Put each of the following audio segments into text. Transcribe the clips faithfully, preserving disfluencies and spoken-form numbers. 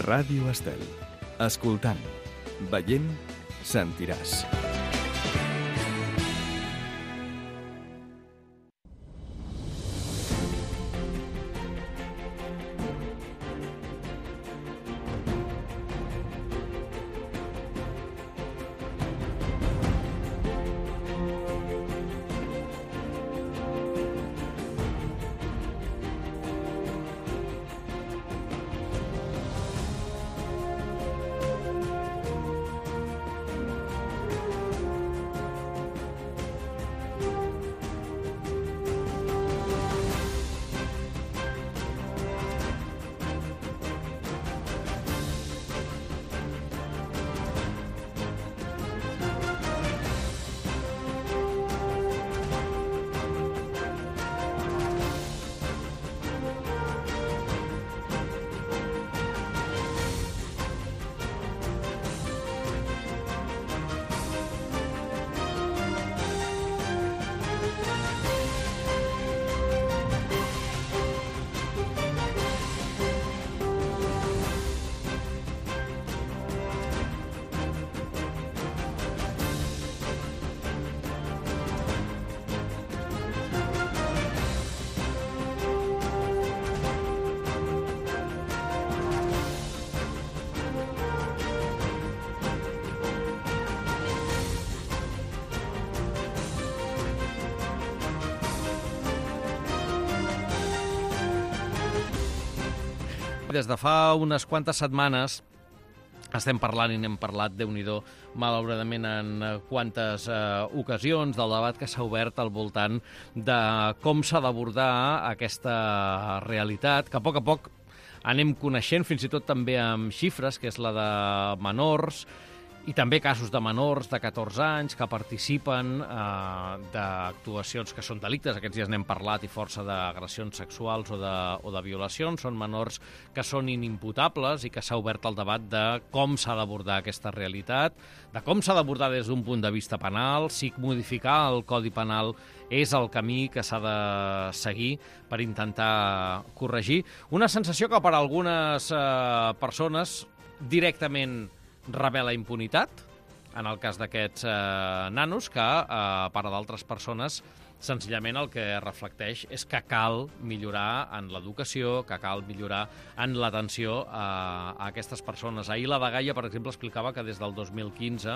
Ràdio Estel. Escoltant, veient, sentiràs. Des de fa unes quantes setmanes estem parlant i n'hem parlat, Déu-n'hi-do, malauradament en quantes eh, ocasions del debat que s'ha obert al voltant de com s'ha d'abordar aquesta realitat, que a poc a poc anem coneixent, fins i tot també amb xifres, que és la de menors, i també casos de menors de catorze anys que participen eh, d'actuacions que són delictes. Aquests dies n'hem parlat i força d'agressions sexuals o de, o de violacions. Són menors que són inimputables i que s'ha obert el debat de com s'ha d'abordar aquesta realitat, de com s'ha d'abordar des d'un punt de vista penal, si modificar el Codi Penal és el camí que s'ha de seguir per intentar corregir. Una sensació que per a algunes eh, persones directament revela impunitat, en el cas d'aquests eh, nanos, que eh, per a d'altres persones senzillament el que reflecteix és que cal millorar en l'educació, que cal millorar en l'atenció a, a aquestes persones. Ahir la Dgaia, per exemple, explicava que des del dos mil quinze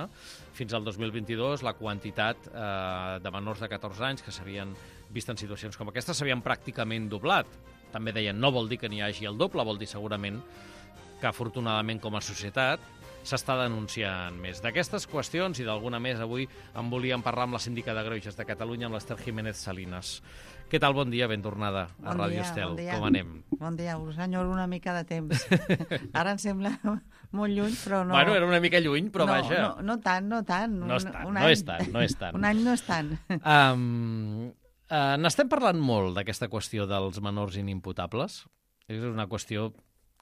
fins al dos mil vint-i-dos la quantitat eh, de menors de catorze anys que s'havien vist en situacions com aquestes s'havien pràcticament doblat. També deien, no vol dir que n'hi hagi el doble, vol dir segurament que afortunadament com a societat s'està denunciant més. D'aquestes qüestions i d'alguna més avui en volíem parlar amb la síndica de Greuges de Catalunya, amb l'Ester Jiménez Salinas. Què tal? Bon dia, ben tornada a bon Ràdio dia, Estel. Bon dia. Com anem? Bon dia, us enyoro una mica de temps. Ara em sembla molt lluny, però no... Bueno, era una mica lluny, però no, vaja. No, no tant, no tant. No és tant, un no any. és tant, no és tant. Un any no és tant. Um, uh, N'estem parlant molt d'aquesta qüestió dels menors inimputables. És una qüestió,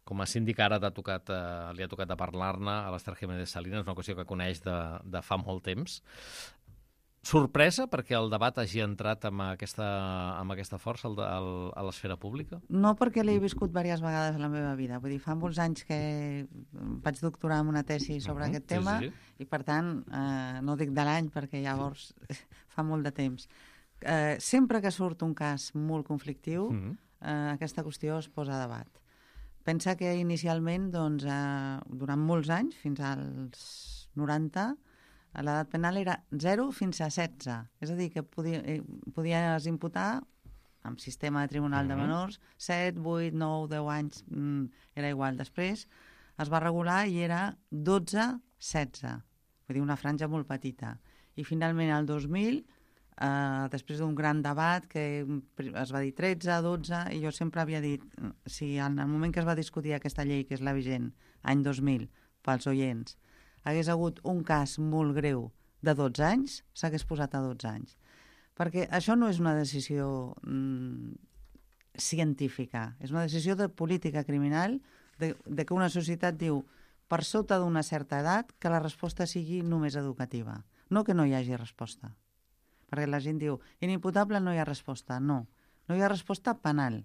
com a síndic ara t'ha tocat, eh, li ha tocat a parlar-ne a l'Ester Jiménez Salinas, una qüestió que coneix de, de fa molt temps. Sorpresa perquè el debat hagi entrat amb aquesta, amb aquesta força al, al, a l'esfera pública? No, perquè l'he viscut diverses vegades a la meva vida. Vull dir, fa molts anys que vaig doctorar en una tesi sobre uh-huh, aquest tema sí, sí. I, per tant, eh, no dic de l'any perquè llavors fa molt de temps. Eh, sempre que surt un cas molt conflictiu, uh-huh. eh, aquesta qüestió es posa a debat. Pensa que inicialment, doncs, eh, durant molts anys, fins als noranta, l'edat penal era zero fins a setze. És a dir, que podia, eh, podies imputar, amb sistema de tribunal uh-huh. de menors, set, vuit, nou, deu anys, mm, era igual. Després es va regular i era dotze, setze. Vull dir, una franja molt petita. I finalment, el dos mil, Uh, després d'un gran debat que es va dir tretze, dotze, i jo sempre havia dit, si en el moment que es va discutir aquesta llei, que és la vigent, any dos mil, pels oients, hagués hagut un cas molt greu de dotze anys, s'hagués posat a dotze anys. Perquè això no és una decisió mm, científica, és una decisió de política criminal, de, de que una societat diu, per sota d'una certa edat, que la resposta sigui només educativa, no que no hi hagi resposta. Perquè la gent diu, inimputable no hi ha resposta. No, no hi ha resposta penal.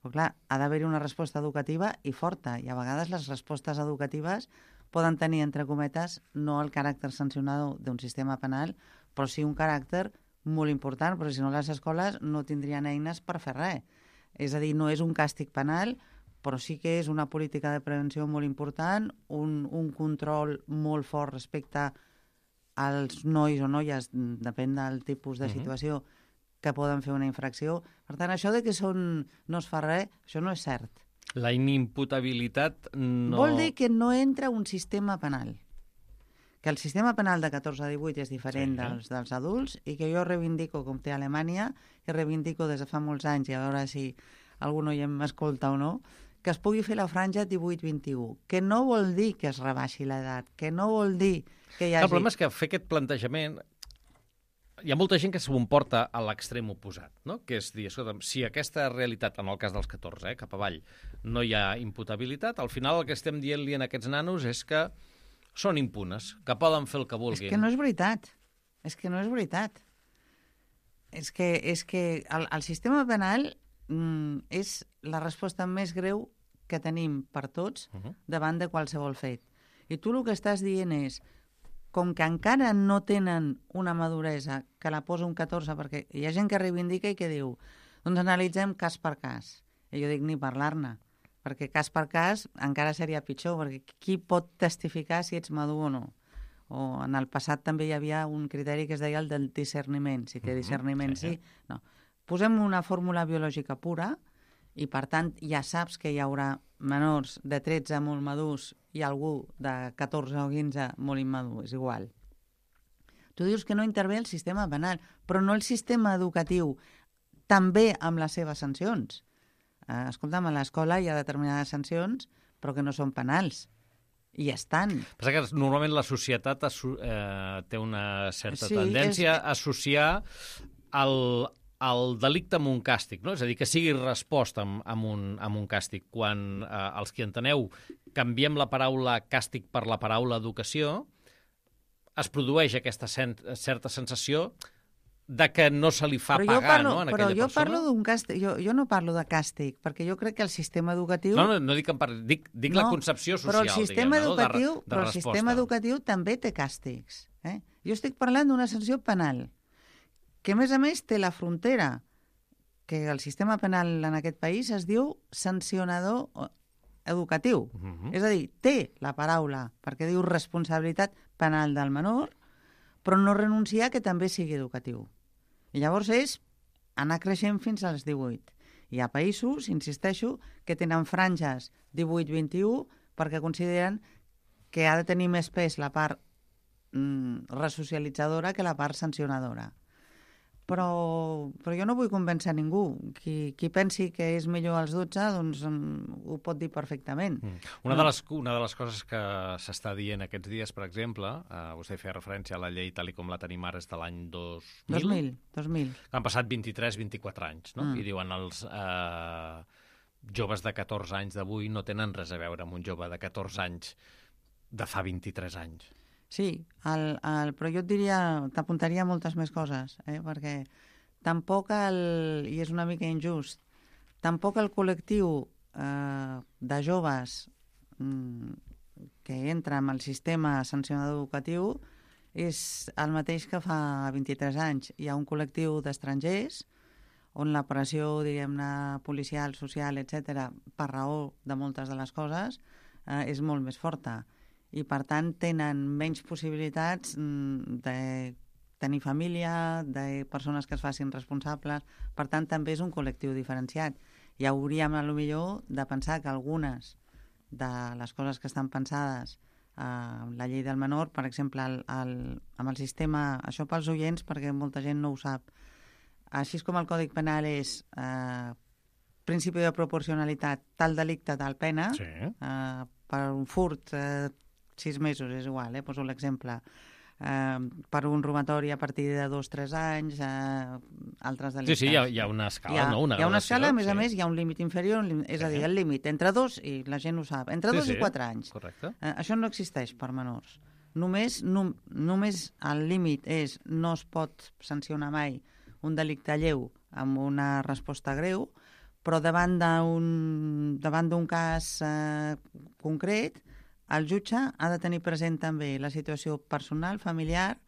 Però clar, ha d'haver-hi una resposta educativa i forta, i a vegades les respostes educatives poden tenir, entre cometes, no el caràcter sancionador d'un sistema penal, però sí un caràcter molt important, perquè si no les escoles no tindrien eines per fer res. És a dir, no és un càstig penal, però sí que és una política de prevenció molt important, un, un control molt fort respecte als nois o noies, depèn del tipus de situació, uh-huh. que poden fer una infracció. Per tant, això de que són, no es fa res, això no és cert. La inimputabilitat no... Vol dir que no entra un sistema penal. Que el sistema penal de catorze a divuit és diferent sí, eh? dels, dels adults i que jo reivindico, com té Alemanya, que reivindico des de fa molts anys, i a veure si algú no hi m'escolta o no, que es pugui fer la franja divuit vint i u, que no vol dir que es rebaixi l'edat, que no vol dir que hi hagi... El problema és que fer aquest plantejament... Hi ha molta gent que s'ho porta a l'extrem oposat, no? Que és dir, escolta, si aquesta realitat, en el cas dels catorze, eh, cap avall, no hi ha imputabilitat, al final el que estem dient-li a aquests nanos és que són impunes, que poden fer el que vulguin. És que no és veritat. És que no és veritat. És que, és que el, el sistema penal mm, és la resposta més greu que tenim per tots uh-huh. davant de qualsevol fet. I tu el que estàs dient és, com que encara no tenen una maduresa que la posa un catorze, perquè hi ha gent que reivindica i que diu, doncs analitzem cas per cas. I jo dic ni parlar-ne, perquè cas per cas encara seria pitjor, perquè qui pot testificar si ets madur o no? O en el passat també hi havia un criteri que es deia el del discerniment, si té discerniment sí, no. Posem una fórmula biològica pura i per tant ja saps que hi haurà menors de tretze molt madurs i algú de catorze o quinze molt immadur, és igual. Tu dius que no intervé el sistema penal, però no el sistema educatiu, també amb les seves sancions. Eh, escolta'm, a l'escola hi ha determinades sancions, però que no són penals. I estan. Passa que normalment la societat eh, té una certa sí, tendència és... a associar el, el delicte amb un càstig, no? És a dir, que sigui resposta amb, amb, un, amb un càstig. Quan eh, els que enteneu canviem la paraula càstig per la paraula educació, es produeix aquesta sen certa sensació de que no se li fa però pagar, parlo, no, en però aquella jo persona. Parlo d'un càstig, jo, jo no parlo de càstig, perquè jo crec que el sistema educatiu... No, no, no dic, en dic, dic no, la concepció social, però el sistema diguem, educatiu, no? de, de però el resposta. sistema educatiu també té càstigs. Eh? Jo estic parlant d'una sanció penal, que a més a més té la frontera, que el sistema penal en aquest país es diu sancionador educatiu. Uh -huh. És a dir, té la paraula, perquè diu responsabilitat penal del menor, però no renunciar que també sigui educatiu. I llavors és anar creixent fins als divuit. Hi ha països, insisteixo, que tenen franges divuit vint i u perquè consideren que ha de tenir més pes la part mm, resocialitzadora que la part sancionadora. Però, però jo no vull convèncer ningú. Qui, qui pensi que és millor als dotze, doncs um, ho pot dir perfectament. Mm. Una, de les, una de les coses que s'està dient aquests dies, per exemple, eh, vostè feia referència a la llei tal com la tenim ara, és de l'any dos mil. dos mil, dos mil. Han passat vint-i-tres vint-i-quatre anys, no? Mm. I diuen els eh, joves de catorze anys d'avui no tenen res a veure amb un jove de catorze anys de fa vint-i-tres anys. Sí, el, el, però jo et diria, t'apuntaria moltes més coses, eh? Perquè tampoc, el, i és una mica injust, tampoc el col·lectiu eh, de joves mm, que entra en el sistema sancionador educatiu és el mateix que fa vint-i-tres anys. Hi ha un col·lectiu d'estrangers on la pressió, diguem-ne, policial, social, etcètera, per raó de moltes de les coses, eh, és molt més forta. I, per tant, tenen menys possibilitats de tenir família, de persones que es facin responsables. Per tant, també és un col·lectiu diferenciat. I hauríem, potser, de pensar que algunes de les coses que estan pensades en la llei del menor, per exemple, el, el, amb el sistema, això pels oients, perquè molta gent no ho sap, així com el Codi Penal és eh, principi de proporcionalitat, tal delicte, tal pena, sí. eh, per un furt... Eh, sis mesos, és igual, eh? Poso l'exemple. Eh, per un robatori a partir de dos o tres anys, eh, altres delictes. Sí, sí, hi ha, hi ha una escala, hi ha, no? Una hi ha una escala, a més sí. a més, hi ha un límit inferior, és sí. a dir, el límit entre dos, i la gent ho sap, entre sí, dos sí. i quatre anys. Correcte. Eh, això no existeix per menors. Només, no, només el límit és no es pot sancionar mai un delicte lleu amb una resposta greu, però davant d'un davant d'un cas eh, concret, el jutge ha de tenir present també la situació personal, familiar,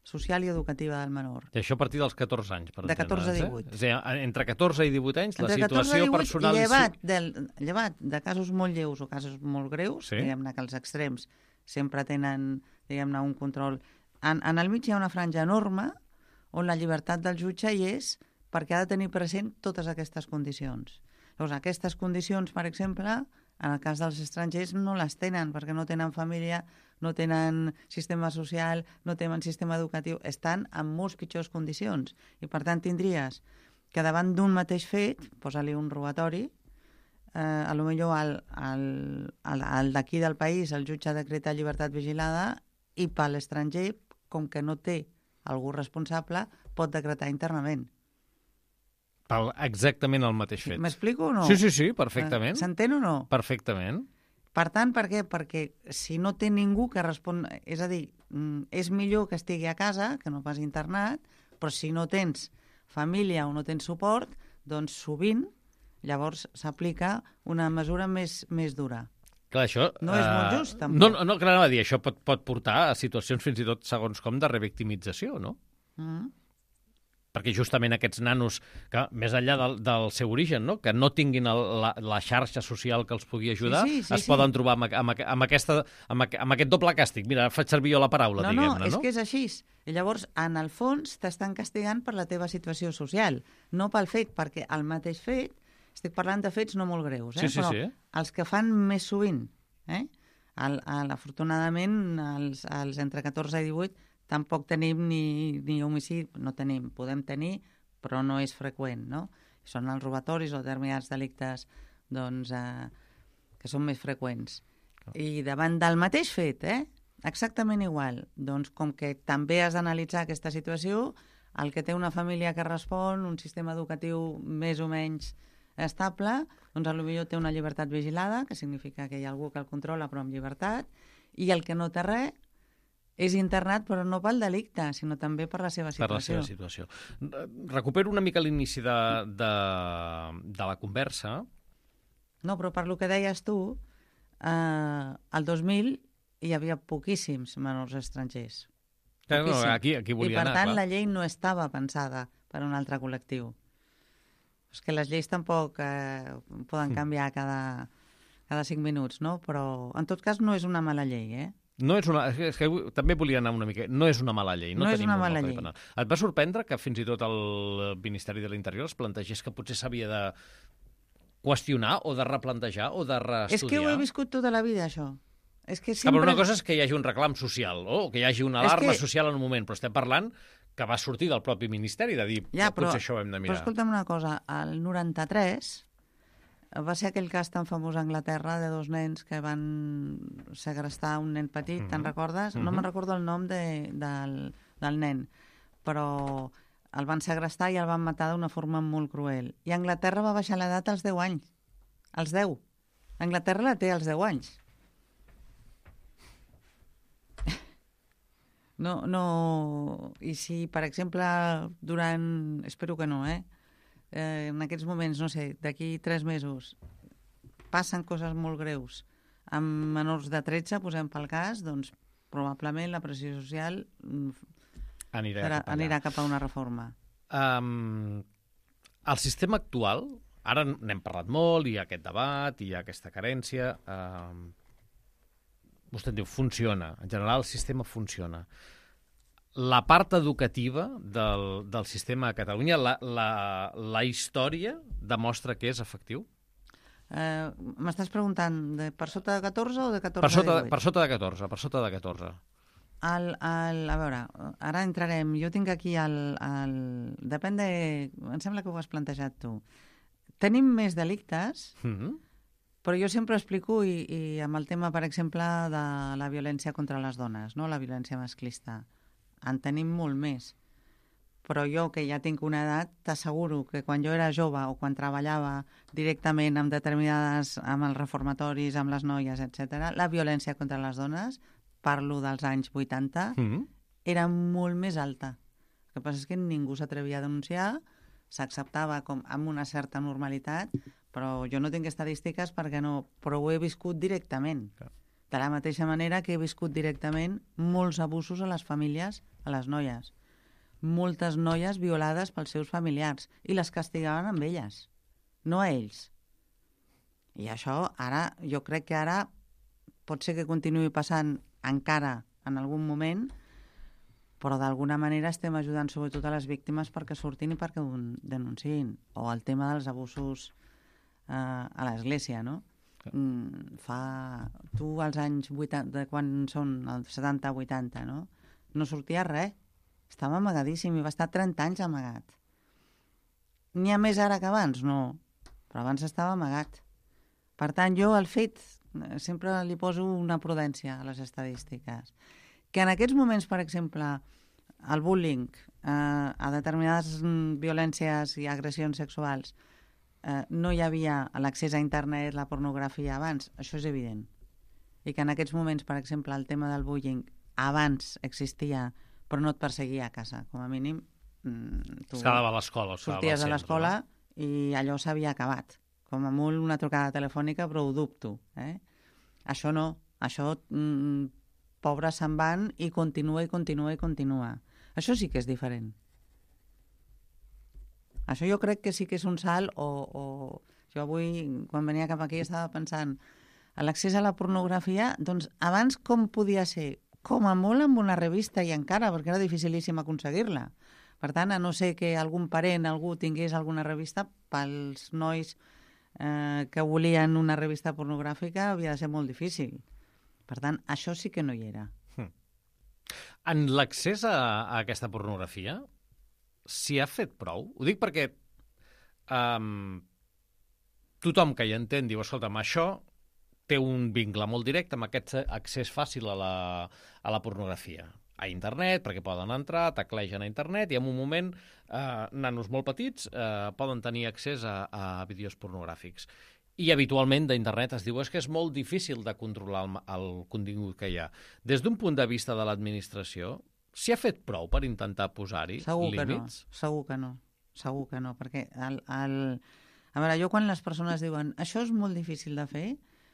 social i educativa del menor. I això a partir dels catorze anys, per De catorze a divuit. Eh? És a dir, entre catorze i divuit anys, Entre la situació divuit, personal... Llevat, del, llevat de casos molt lleus o casos molt greus, sí? diguem-ne que els extrems sempre tenen, diguem-ne, un control. En, en el mig hi ha una franja enorme on la llibertat del jutge hi és perquè ha de tenir present totes aquestes condicions. Llavors, aquestes condicions, per exemple, en el cas dels estrangers no les tenen perquè no tenen família, no tenen sistema social, no tenen sistema educatiu, estan en molts pitjors condicions. I per tant tindries que davant d'un mateix fet, posa-li un robatori, eh, a lo millor el, el, el, el d'aquí del país, el jutge decreta llibertat vigilada i per l'estranger, com que no té algú responsable, pot decretar internament. Pel exactament el mateix fet. M'explico o no? Sí, sí, sí, perfectament. S'entén o no? Perfectament. Per tant, per què? Perquè si no té ningú que respon... És a dir, és millor que estigui a casa, que no pas internat, però si no tens família o no tens suport, doncs sovint llavors s'aplica una mesura més, més dura. Clar, això... No és molt just, tampoc. No, no, clar, no, dir, això pot, pot portar a situacions fins i tot, segons com, de revictimització, no? Mm. Perquè justament aquests nanos, que més enllà del, del seu origen, no? Que no tinguin el, la, la xarxa social que els pugui ajudar, sí, sí, sí, es sí. poden trobar amb, amb, amb, aquesta, amb, amb aquest doble càstig. Mira, faig servir jo la paraula, no, diguem-ne, no? No, és que és així. I llavors, en el fons, t'estan castigant per la teva situació social, no pel fet, perquè el mateix fet, estic parlant de fets no molt greus, eh? Sí, sí, però sí. els que fan més sovint, eh? El, el, afortunadament, els, els entre catorze i divuit, tampoc tenim ni, ni homicidi, no tenim, podem tenir, però no és freqüent, no? Són els robatoris o determinats delictes doncs, eh, que són més freqüents. Oh. I davant del mateix fet, eh, exactament igual, doncs com que també has d'analitzar aquesta situació, el que té una família que respon, un sistema educatiu més o menys estable, doncs potser té una llibertat vigilada, que significa que hi ha algú que el controla però amb llibertat, i el que no té res és internat, però no pel delicte, sinó també per la seva situació. Per la seva situació. Recupero una mica l'inici de, de, de la conversa. No, però per lo que deies tu, eh, el dos mil hi havia poquíssims menors estrangers. Clar, no, aquí, aquí volia I per anar, tant clar. La llei no estava pensada per a un altre col·lectiu. És que les lleis tampoc eh, poden canviar cada, cada cinc minuts, no? Però en tot cas no és una mala llei, eh? No és una, és que també volia anar una mica... No és una mala llei. No, no és tenim una mala llei. llei. Et va sorprendre que fins i tot el Ministeri de l'Interior es plantegés que potser s'havia de qüestionar o de replantejar o de reestudiar? És que ho he viscut tota la vida, això. És que sempre... Ah, però una cosa és que hi hagi un reclam social, o que hi hagi una alarma que... social en un moment, però estem parlant que va sortir del propi Ministeri de dir ja, però, potser això ho hem de mirar. Però escolta'm una cosa, el noranta-tres va ser aquell cas tan famós a Anglaterra de dos nens que van segrestar un nen petit, mm-hmm. te'n recordes? Mm-hmm. No me'n recordo el nom de, del, del nen, però el van segrestar i el van matar d'una forma molt cruel. I Anglaterra va baixar l'edat als deu anys. Als deu. Anglaterra la té als deu anys. No, no... I si, per exemple, durant... Espero que no, eh? eh en aquests moments, no sé, d'aquí tres mesos, passen coses molt greus amb menors de tretze, posem pel cas, doncs probablement la pressió social anirà, serà, cap, anirà cap a una reforma. Um, el sistema actual, ara n'hem parlat molt, hi ha aquest debat, hi ha aquesta carència... Um, vostè diu, funciona. En general, el sistema funciona. La part educativa del, del sistema a Catalunya, la, la, la història demostra que és efectiu? Eh, M'estàs preguntant de per sota de catorze o de catorze per sota, a divuit? Per sota de catorze, per sota de catorze. El, el, a veure, ara entrarem. Jo tinc aquí el, el... Depèn de... Em sembla que ho has plantejat tu. Tenim més delictes... Mm-hmm. Però jo sempre explico, i, i amb el tema, per exemple, de la violència contra les dones, no? La violència masclista, en tenim molt més. Però jo, que ja tinc una edat, t'asseguro que quan jo era jove o quan treballava directament amb determinades, amb els reformatoris, amb les noies, etcètera, la violència contra les dones, parlo dels anys vuitanta, mm-hmm. era molt més alta. El que passa és que ningú s'atrevia a denunciar s'acceptava com amb una certa normalitat, però jo no tinc estadístiques perquè no, però ho he viscut directament. De la mateixa manera que he viscut directament molts abusos a les famílies, a les noies. Moltes noies violades pels seus familiars i les castigaven amb elles, no a ells. I això ara, jo crec que ara pot ser que continuï passant encara en algun moment, però d'alguna manera estem ajudant sobretot a les víctimes perquè surtin i perquè ho denunciïn. O el tema dels abusos eh, a l'església, no? Mm, fa... Tu als anys vuitanta, quan són els setanta vuitanta, no? No sortia res. Estava amagadíssim i va estar trenta anys amagat. N'hi ha més ara que abans? No. Però abans estava amagat. Per tant, jo el fet... Sempre li poso una prudència a les estadístiques. Que en aquests moments, per exemple, el bullying, eh, a determinades violències i agressions sexuals, eh, no hi havia l'accés a internet, la pornografia abans, això és evident. I que en aquests moments, per exemple, el tema del bullying abans existia, però no et perseguia a casa, com a mínim. Tu es quedava a l'escola. Sorties a l'escola i allò s'havia acabat. Com a molt una trucada telefònica, però ho dubto. Eh? Això no, això... Mm, pobres se'n van i continua i continua i continua. Això sí que és diferent. Això jo crec que sí que és un salt o, o... Jo avui, quan venia cap aquí, estava pensant a l'accés a la pornografia, doncs abans com podia ser? Com a molt amb una revista i encara, perquè era dificilíssim aconseguir-la. Per tant, a no ser que algun parent, algú tingués alguna revista, pels nois eh, que volien una revista pornogràfica havia de ser molt difícil. Per tant, això sí que no hi era. Hmm. En l'accés a, a aquesta pornografia, s'hi ha fet prou? Ho dic perquè um, tothom que hi entén diu, escolta'm, això té un vincle molt directe amb aquest accés fàcil a la, a la pornografia. A internet, perquè poden entrar, teclegen a internet, i en un moment eh, nanos molt petits eh, poden tenir accés a, a vídeos pornogràfics. I habitualment d'internet es diu és que és molt difícil de controlar el, el contingut que hi ha. Des d'un punt de vista de l'administració, s'hi ha fet prou per intentar posar-hi segur límits? Que no, segur que no, segur que no, perquè el, el... a veure, jo quan les persones diuen això és molt difícil de fer,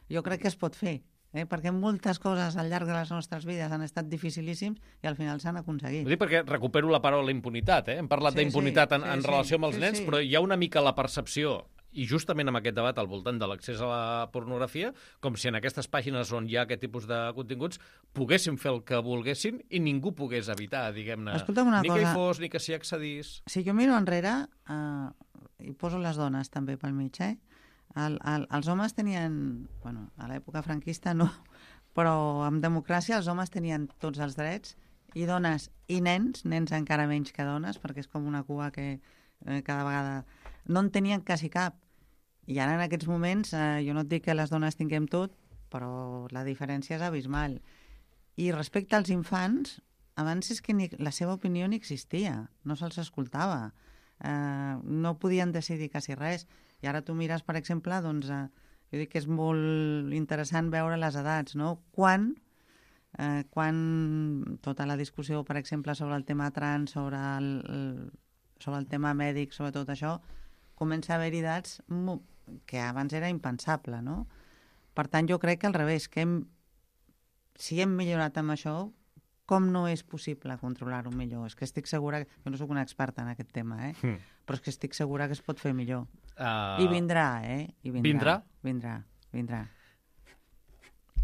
jo crec que es pot fer, eh? Perquè moltes coses al llarg de les nostres vides han estat dificilíssims i al final s'han aconseguit. Ho dic perquè recupero la paraula impunitat, eh? Hem parlat sí, d'impunitat sí, en, en sí, relació amb els sí, nens, sí. Però hi ha una mica la percepció, i justament amb aquest debat al voltant de l'accés a la pornografia, com si en aquestes pàgines on hi ha aquest tipus de continguts poguéssim fer el que volguessin i ningú pogués evitar, diguem-ne, ni cosa. Que hi fos, ni que s'hi accedís. Si jo miro enrere, eh, i poso les dones també pel mig, eh? El, el, els homes tenien, bueno, a l'època franquista no, però amb democràcia els homes tenien tots els drets, i dones i nens, nens encara menys que dones, perquè és com una cua que eh, cada vegada no en tenien quasi cap. I ara en aquests moments, eh, jo no et dic que les dones tinguem tot, però la diferència és abismal. I respecte als infants, abans és que ni, la seva opinió ni existia, no se'ls escoltava, eh, no podien decidir quasi res. I ara tu mires, per exemple, doncs, eh, jo dic que és molt interessant veure les edats, no? Quan, eh, quan tota la discussió, per exemple, sobre el tema trans, sobre el, el, sobre el tema mèdic, sobre tot això, comença a haver edats que abans era impensable, no? Per tant, jo crec que al revés, que hem, si hem millorat amb això, com no és possible controlar-ho millor? És que estic segura... Jo no sóc una experta en aquest tema, eh? Mm. Però és que estic segura que es pot fer millor. Uh... I vindrà, eh? I vindrà. Vindrà? Vindrà, vindrà.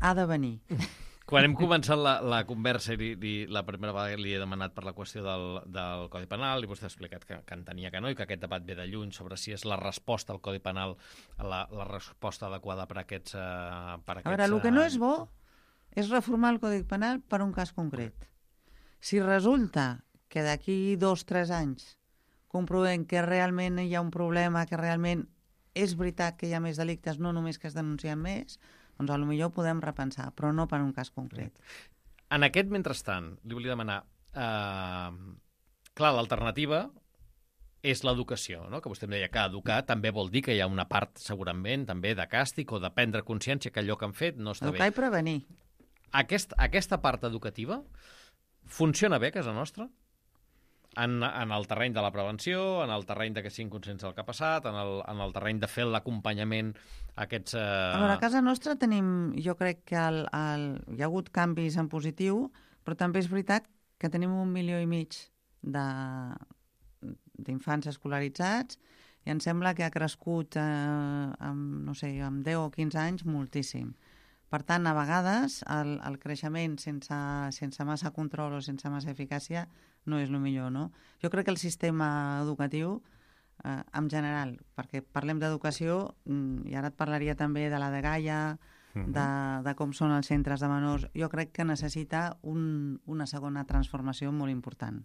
Ha de venir. Quan hem començat la, la conversa i, i la primera vegada li he demanat per la qüestió del, del Codi Penal i vostè ha explicat que, que entenia que no i que aquest debat ve de lluny sobre si és la resposta al Codi Penal la, la resposta adequada per a aquests... Uh, per a, aquests, a veure, el que no és bo és reformar el Codi Penal per un cas concret. Si resulta que d'aquí dos o tres anys comprovem que realment hi ha un problema, que realment és veritat que hi ha més delictes, no només que es denuncien més, doncs potser podem repensar, però no per un cas concret. En aquest mentrestant, li volia demanar... Eh, clar, l'alternativa és l'educació, no? Que vostè em deia que educar també vol dir que hi ha una part, segurament, també de càstig o de prendre consciència que allò que han fet no està educar bé. Educar i prevenir. Aquest, aquesta part educativa funciona bé a casa nostra? en, en el terreny de la prevenció, en el terreny de que siguin conscients del que ha passat, en el, en el terreny de fer l'acompanyament a aquests... Eh... A veure, a casa nostra tenim, jo crec que el, el, hi ha hagut canvis en positiu, però també és veritat que tenim un milió i mig d'infants escolaritzats i em sembla que ha crescut eh, amb, no sé, amb deu o quinze anys moltíssim. Per tant, a vegades el, el creixement sense, sense massa control o sense massa eficàcia no és el millor, no? Jo crec que el sistema educatiu, eh, en general, perquè parlem d'educació, i ara et parlaria també de la de Gaia, uh-huh. de, de com són els centres de menors, jo crec que necessita un, una segona transformació molt important.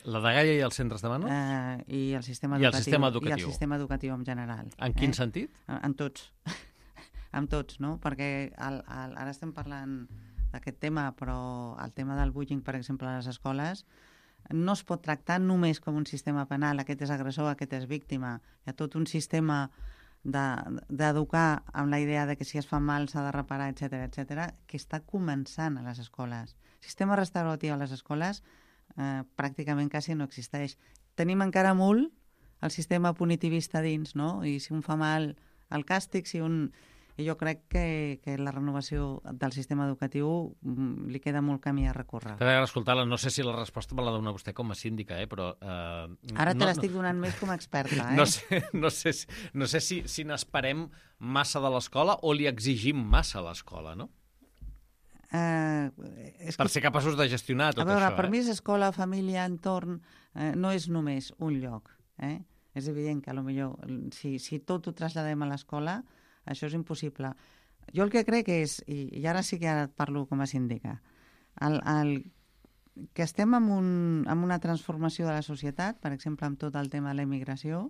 La de Gaia i els centres de menors? Eh, I el sistema I educatiu. el sistema educatiu. I el sistema educatiu en general. En quin eh? sentit? En, en tots. Amb tots, no? Perquè el, el, ara estem parlant d'aquest tema, però el tema del bullying, per exemple, a les escoles, no es pot tractar només com un sistema penal, aquest és agressor, aquest és víctima. Hi ha tot un sistema d'educar de, amb la idea de que si es fa mal s'ha de reparar, etcètera, etcètera, que està començant a les escoles. El sistema restauratiu a les escoles eh, pràcticament quasi no existeix. Tenim encara molt el sistema punitivista dins, no? I si un fa mal, el càstig, si un... I jo crec que, que la renovació del sistema educatiu li queda molt camí a recórrer. Escolta, no sé si la resposta me la dona vostè com a síndica, eh? Però... Eh, Ara te no, l'estic donant no, més com a experta. Eh? No sé, no sé, no sé si, si n'esperem massa de l'escola o li exigim massa a l'escola, no? Uh, és per que... ser capaços de gestionar tot a veure, això. Per eh? mi és escola, família, entorn, eh, no és només un lloc. Eh? És evident que potser si, si tot ho traslladem a l'escola, això és impossible. Jo el que crec és, i, i ara sí que ara et parlo com a síndica, el, el, que estem en, un, en una transformació de la societat, per exemple, amb tot el tema de la immigració,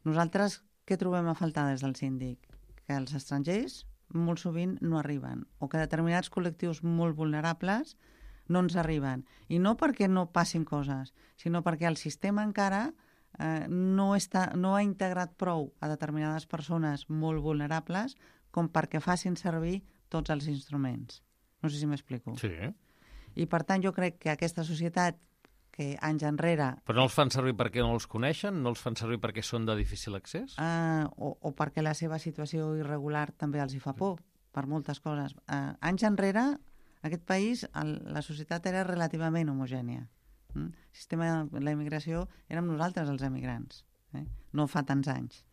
nosaltres què trobem a faltar des del síndic? Que els estrangers molt sovint no arriben, o que determinats col·lectius molt vulnerables no ens arriben. I no perquè no passin coses, sinó perquè el sistema encara eh, no, està, no ha integrat prou a determinades persones molt vulnerables com perquè facin servir tots els instruments. No sé si m'explico. Sí. I per tant jo crec que aquesta societat que anys enrere... Però no els fan servir perquè no els coneixen? No els fan servir perquè són de difícil accés? Eh, o, o perquè la seva situació irregular també els hi fa por, per moltes coses. Eh, anys enrere, aquest país, el, la societat era relativament homogènia. Mm? El sistema de la immigració érem nosaltres els emigrants, eh? No fa tants anys.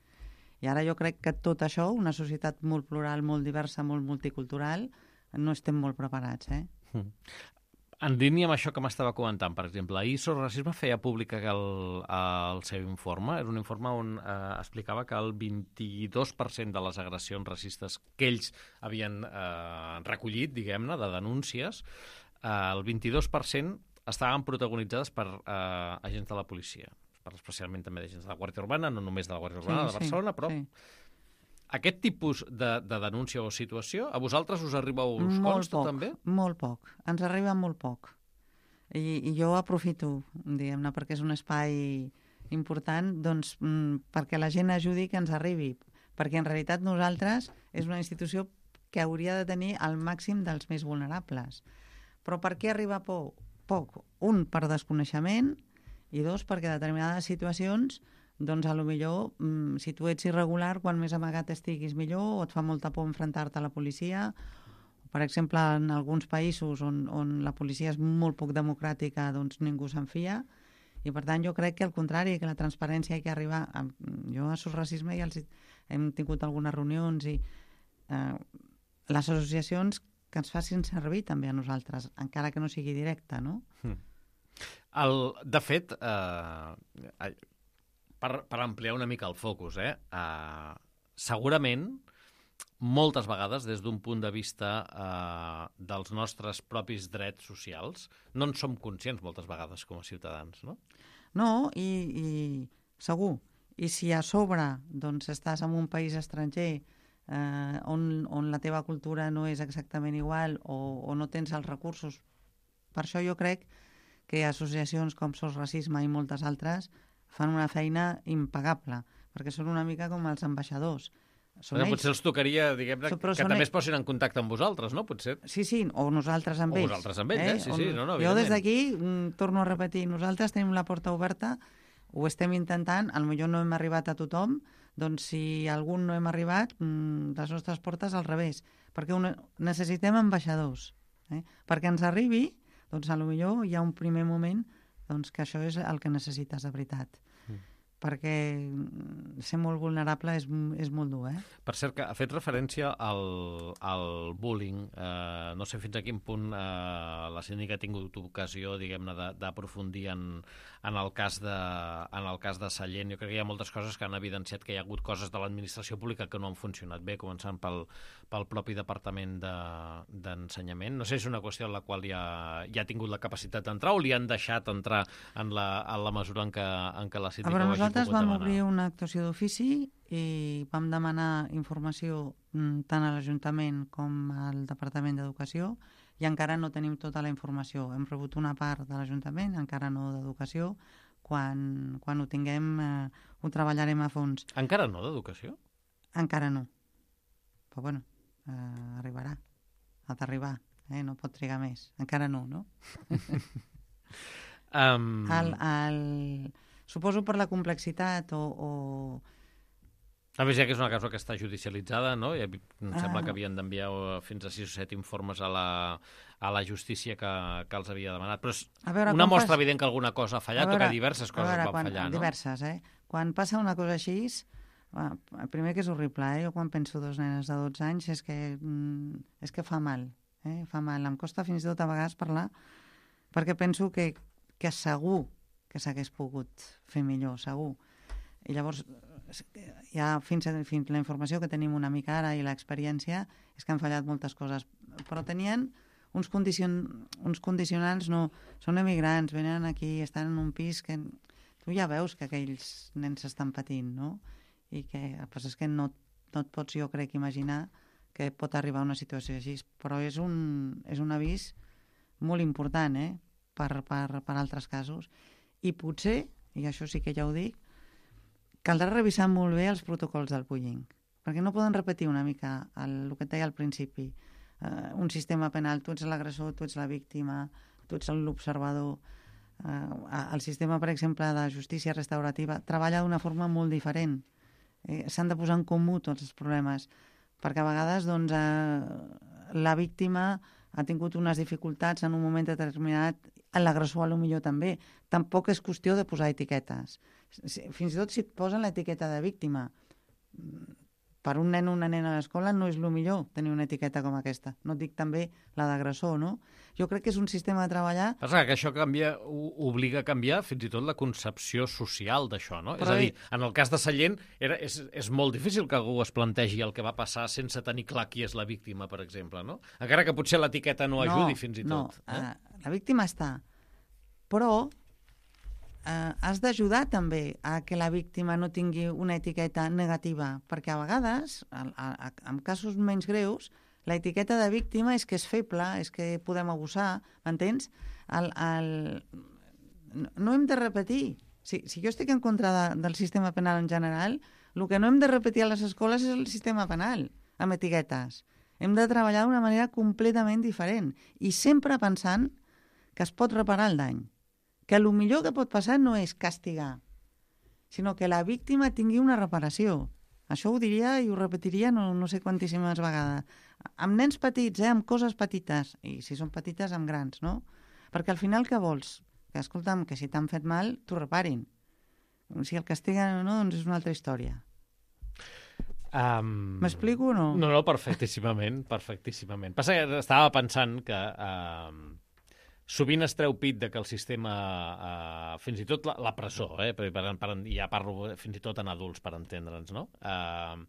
I ara jo crec que tot això, una societat molt plural, molt diversa, molt multicultural, no estem molt preparats. Eh? Mm. En línia amb això que m'estava comentant, per exemple, ahir Sos Racisme feia públic el, el seu informe. Era un informe on eh, explicava que el vint-i-dos per cent de les agressions racistes que ells havien eh, recollit, diguem-ne, de denúncies, eh, el vint-i-dos per cent estaven protagonitzades per eh, agents de la policia, per especialment també d'agents de la Guàrdia Urbana, no només de la Guàrdia Urbana sí, de Barcelona, sí, però... Sí. Aquest tipus de, de denúncia o situació, a vosaltres us arriba o us molt consta poc, també? Molt poc, ens arriba molt poc. I, i jo aprofito, diguem-ne, perquè és un espai important, doncs mm, perquè la gent ajudi que ens arribi, perquè en realitat nosaltres és una institució que hauria de tenir el màxim dels més vulnerables. Però per què arriba poc? Poc. Un, per desconeixement, i dos, perquè determinades situacions, doncs a lo millor, mm, si tu ets irregular, quan més amagat estiguis millor, o et fa molta por enfrontar-te a la policia. Per exemple, en alguns països on, on la policia és molt poc democràtica, doncs ningú se'n fia. I per tant jo crec que al contrari, que la transparència hi ha que arribar. Jo a Sos Racisme ja els hem tingut algunes reunions i eh, les associacions que ens facin servir també a nosaltres, encara que no sigui directe, no? Mm. El, de fet, eh, per, per ampliar una mica el focus, eh, eh, segurament moltes vegades, des d'un punt de vista eh, dels nostres propis drets socials, no en som conscients moltes vegades com a ciutadans, no? No, i, i segur. I si a sobre doncs, estàs en un país estranger eh, on, on la teva cultura no és exactament igual o, o no tens els recursos, per això jo crec que associacions com Sos Racisme i moltes altres fan una feina impagable, perquè són una mica com els ambaixadors. són bueno, ells. Potser els tocaria, diguem-ne, So, que són també ells. es posin en contacte amb vosaltres, no? Potser. Sí, sí, o nosaltres amb O ells. vosaltres amb ells, eh? Sí, sí, no, no, jo des evidentment. d'aquí mm, torno a repetir, nosaltres tenim la porta oberta, ho estem intentant, potser no hem arribat a tothom, doncs si algun no hem arribat, mm, les nostres portes al revés, perquè una, necessitem ambaixadors. Eh? Perquè ens arribi, doncs potser hi ha un primer moment doncs, que això és el que necessites de veritat. Mm. Perquè ser molt vulnerable és, és molt dur, eh? Per cert, que ha fet referència al, al bullying. Eh, no sé fins a quin punt eh, la síndica ha tingut ocasió, diguem-ne, d'aprofundir en, en, el cas de, en el cas de Sallent. Jo crec que hi ha moltes coses que han evidenciat que hi ha hagut coses de l'administració pública que no han funcionat bé, començant pel, pel propi Departament d'Ensenyament. De, no sé si és una qüestió en la qual ja, ja ha tingut la capacitat d'entrar o li han deixat entrar en la, en la mesura en què, en què la síndica ho hagi pogut demanar. Nosaltres vam obrir una actuació d'ofici i vam demanar informació tant a l'Ajuntament com al Departament d'Educació i encara no tenim tota la informació. Hem rebut una part de l'Ajuntament, encara no d'Educació. Quan, quan ho tinguem eh, ho treballarem a fons. Encara no d'Educació? Encara no. Però bueno, eh, arribarà. Ha d'arribar. Eh? No pot trigar més. Encara no, no? um... el, el... Suposo per la complexitat o... o... A més, ja que és una causa que està judicialitzada, no? I em sembla ah. que havien d'enviar fins a sis o set informes a la, a la justícia que, que els havia demanat. Però és veure, una mostra pas... evident que alguna cosa ha fallat veure, o que diverses coses veure, van quan, fallar, no? Diverses, eh? Quan passa una cosa així, el primer que és horrible, eh? Jo quan penso dos nenes de dotze anys és que, mm, és que fa mal, eh? Fa mal. Em costa fins i tot a vegades parlar perquè penso que, que segur que s'hagués pogut fer millor, segur. I llavors, ja fins, a, fins la informació que tenim una mica ara i l'experiència és que han fallat moltes coses, però tenien uns, condicion, uns condicionants, no, són emigrants, venen aquí, estan en un pis que tu ja veus que aquells nens estan patint, no? I que, pues és que no, no et pots, jo crec, imaginar que pot arribar a una situació així, però és un, és un avís molt important, eh? per, per, per altres casos. I potser, i això sí que ja ho dic, caldrà revisar molt bé els protocols del bullying, perquè no poden repetir una mica el, el que et deia al principi, uh, un sistema penal, tu ets l'agressor, tu ets la víctima, tu ets l'observador. Uh, el sistema, per exemple, de justícia restaurativa treballa d'una forma molt diferent. Eh, s'han de posar en comú tots els problemes, perquè a vegades doncs, uh, la víctima ha tingut unes dificultats en un moment determinat, l'agressor potser també. Tampoc és qüestió de posar etiquetes. Fins i tot si et posen l'etiqueta de víctima, per un nen o una nena a l'escola no és el millor tenir una etiqueta com aquesta. No et dic també la d'agressor, no? Jo crec que és un sistema de treballar... Passa que això canvia, obliga a canviar fins i tot la concepció social d'això, no? Però... És a dir, en el cas de Sallent era, és, és molt difícil que algú es plantegi el que va passar sense tenir clar qui és la víctima, per exemple, no? Encara que potser l'etiqueta no ajudi no, fins i tot. No, eh? uh, la víctima està. Però eh, has d'ajudar també a que la víctima no tingui una etiqueta negativa, perquè a vegades, a, a, en casos menys greus, la etiqueta de víctima és que és feble, és que podem abusar, m'entens? El, el... No hem de repetir. Si, si jo estic en contra de, del sistema penal en general, el que no hem de repetir a les escoles és el sistema penal, amb etiquetes. Hem de treballar d'una manera completament diferent i sempre pensant que es pot reparar el dany. Que el millor que pot passar no és castigar, sinó que la víctima tingui una reparació. Això ho diria i ho repetiria no, no sé quantíssimes vegades. Amb nens petits, eh, amb coses petites, i si són petites, amb grans, no? Perquè al final què vols? Que, escolta'm, que si t'han fet mal, t'ho reparin. Si el castiguen o no, doncs és una altra història. Um... M'explico o no? No, no, perfectíssimament, perfectíssimament. Passa que estava pensant que uh, sovint es treu pit de que el sistema, uh, fins i tot la, la presó, eh, per, per, per, ja parlo fins i tot en adults per entendre'ns, no? Uh,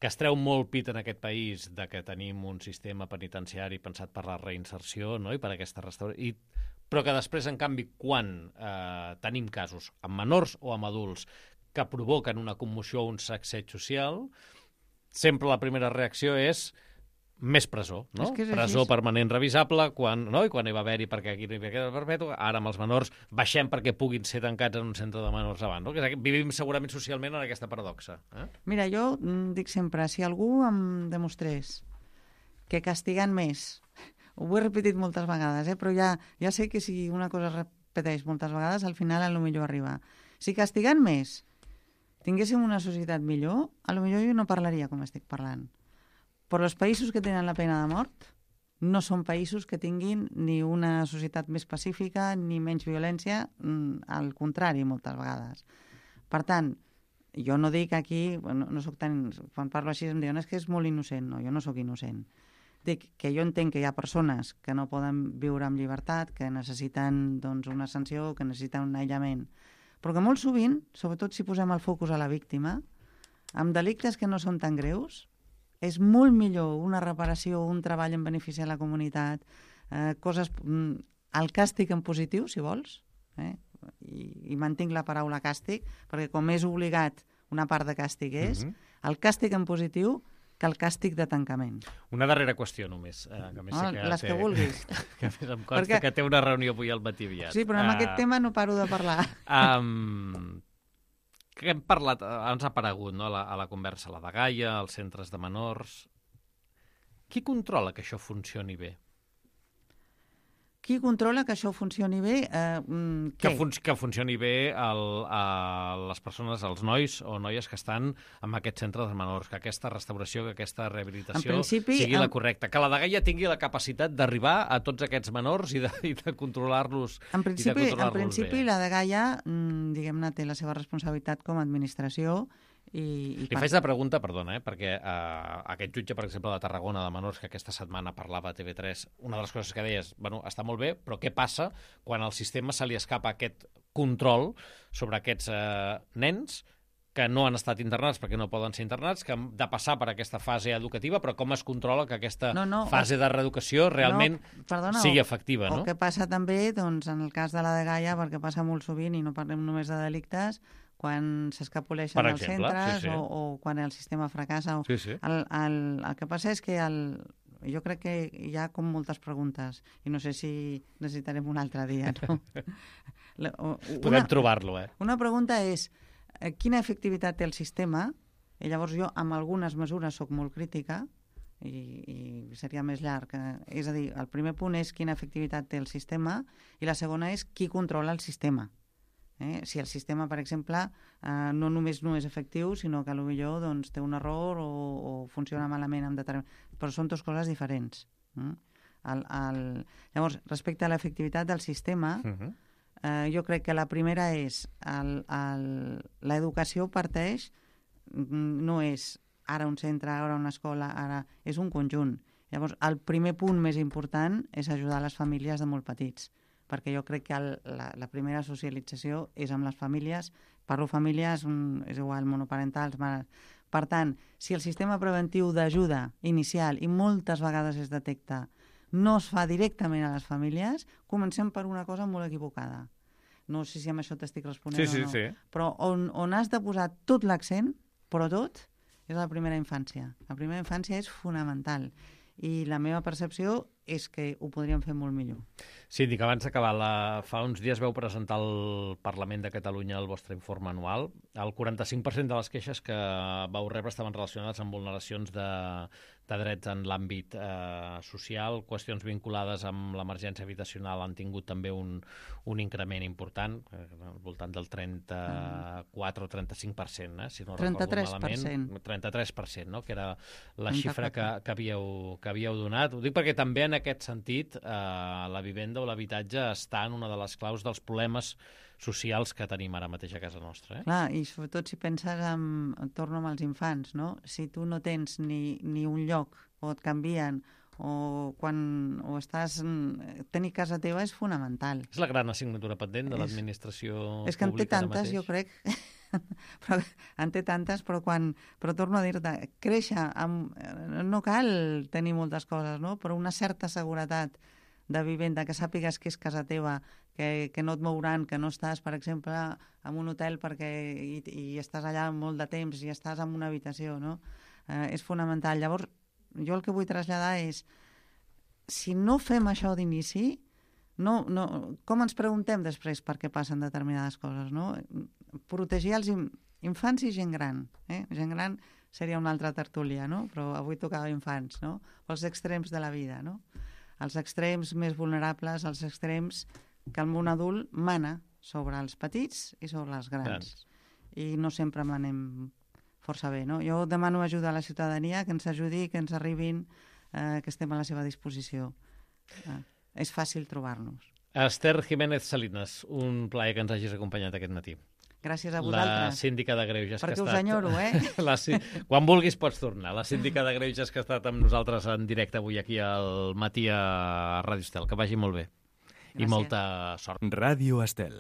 que es treu molt pit en aquest país de que tenim un sistema penitenciari pensat per la reinserció, no? I per aquesta restauració. I, però que després, en canvi, quan eh, tenim casos amb menors o amb adults que provoquen una commoció o un sacseig social, sempre la primera reacció és més presó, no? És que és Presó així. permanent revisable, quan, no? I quan hi va haver-hi perquè aquí no hi havia queda perpètua, ara amb els menors baixem perquè puguin ser tancats en un centre de menors abans, no? Que és, vivim segurament socialment en aquesta paradoxa. Eh? Mira, jo mm, dic sempre, si algú em demostrés que castigant més, ho he repetit moltes vegades, eh? Però ja, ja sé que si una cosa es repeteix moltes vegades, al final a lo millor arriba. Si castigant més tinguéssim una societat millor, a lo millor jo no parlaria com estic parlant. Però els països que tenen la pena de mort no són països que tinguin ni una societat més pacífica ni menys violència, al contrari, moltes vegades. Per tant, jo no dic aquí, no, no soc tan, quan parlo així em diuen és que és molt innocent. No, jo no sóc innocent. Dic que jo entenc que hi ha persones que no poden viure amb llibertat, que necessiten doncs, una sanció, que necessiten un aïllament. Però que molt sovint, sobretot si posem el focus a la víctima, amb delictes que no són tan greus, és molt millor una reparació, un treball en benefici a la comunitat, eh, coses, el càstig en positiu, si vols, eh? I, i mantinc la paraula càstig, perquè com és obligat, una part de càstig és, mm-hmm. el càstig en positiu que el càstig de tancament. Una darrera qüestió només. Eh, que més oh, que les té, que vulguis. Que més em consta perquè... que té una reunió avui al matí aviat. Sí, però amb uh, aquest tema no paro de parlar. Um, que hem parlat, ens ha aparegut no, a, la, a la conversa, la de Gaia, els centres de menors. Qui controla que això funcioni bé? Qui controla que això funcioni bé? Eh, mm, que, fun que funcioni bé el, a les persones, els nois o noies que estan en aquest centre de menors, que aquesta restauració, que aquesta rehabilitació principi, sigui la en... correcta, que la de Gaia tingui la capacitat d'arribar a tots aquests menors i de, i de controlar-los En principi, controlar en principi bé. La de Gaia, mm, diguem-ne, té la seva responsabilitat com a administració. I, i Li per... faig la pregunta, perdona, eh, perquè eh, aquest jutge, per exemple, de Tarragona, de menors, que aquesta setmana parlava a T V tres, una de les coses que deia és, bueno, està molt bé, però què passa quan al sistema se li escapa aquest control sobre aquests eh, nens que no han estat internats perquè no poden ser internats, que han de passar per aquesta fase educativa, però com es controla que aquesta no, no, fase de reeducació realment no, perdona, sigui o, efectiva, o no? O que passa també, doncs, en el cas de la de Gaia, perquè passa molt sovint, i no parlem només de delictes, quan s'escapoleixen els centres sí, sí. O, o quan el sistema fracassa. O... Sí, sí. El, el, el que passa és que el, jo crec que hi ha com moltes preguntes i no sé si necessitarem un altre dia. No? una, Podem trobar-lo, eh? Una pregunta és eh, quina efectivitat té el sistema? I llavors jo amb algunes mesures sóc molt crítica i, i seria més llarg. És a dir, el primer punt és quina efectivitat té el sistema i la segona és qui controla el sistema. Eh? Si el sistema, per exemple, eh, no només no és efectiu, sinó que potser doncs, té un error o, o funciona malament amb determin... Però són dues coses diferents. Eh? El, el... Llavors, respecte a l'efectivitat del sistema, uh-huh. eh, jo crec que la primera és l'educació parteix, no és ara un centre, ara una escola, ara és un conjunt. Llavors, el primer punt més important és ajudar les famílies de molt petits, perquè jo crec que el, la, la primera socialització és amb les famílies. Parlo famílies, és igual, monoparentals, mares. Per tant, si el sistema preventiu d'ajuda inicial, i moltes vegades es detecta, no es fa directament a les famílies, comencem per una cosa molt equivocada. No sé si amb això t'estic responent sí, sí, o no. Sí. Però on, on has de posar tot l'accent, però tot, és la primera infància. La primera infància és fonamental. I la meva percepció és que ho podríem fer molt millor. Síndic, abans d'acabar, la... fa uns dies vau presentar al Parlament de Catalunya el vostre informe anual. El quaranta-cinc per cent de les queixes que vau rebre estaven relacionades amb vulneracions de, de drets en l'àmbit eh, social, qüestions vinculades amb l'emergència habitacional han tingut també un, un increment important, eh, al voltant del trenta-quatre o trenta-cinc per cent, eh, si no trenta-tres recordo per cent. malament. trenta-tres per cent, no? Que era la xifra que, que, havíeu, que havíeu donat. Ho dic perquè també en aquest sentit eh, la vivenda o l'habitatge està en una de les claus dels problemes socials que tenim ara mateix a casa nostra. Eh? Clar, i sobretot si penses en, torno amb els infants, no? Si tu no tens ni, ni un lloc o et canvien o quan o estàs... Tenir casa teva és fonamental. És la gran assignatura pendent de l'administració pública. És que en té tantes, jo crec... però, en té tantes, però quan... Però torno a dir-te, créixer... Amb, no cal tenir moltes coses, no? Però una certa seguretat de vivenda, que sàpigues que és casa teva, que, que no et mouran, que no estàs, per exemple, en un hotel perquè i, i estàs allà molt de temps i estàs en una habitació, no? Eh, és fonamental. Llavors, jo el que vull traslladar és, si no fem això d'inici, no, no, com ens preguntem després per què passen determinades coses, no? Protegir els infants i gent gran. Eh? Gent gran seria una altra tertúlia, no? Però avui tocava infants, no? Els extrems de la vida, no? Els extrems més vulnerables, els extrems que el món adult mana sobre els petits i sobre els grans. grans. I no sempre manem força bé, no? Jo demano ajuda a la ciutadania, que ens ajudi, que ens arribin, eh, que estem a la seva disposició. Eh, és fàcil trobar-nos. Esther Jiménez Salinas, un plaer que ens hagis acompanyat aquest matí. Gràcies a vosaltres. La síndica de Greuges. Perquè que ha us estat... enyoro, eh? La, quan vulguis pots tornar. La síndica de Greuges que ha estat amb nosaltres en directe avui aquí al matí a Ràdio Estel. Que vagi molt bé. Gràcies. I molta sort. Ràdio Estel.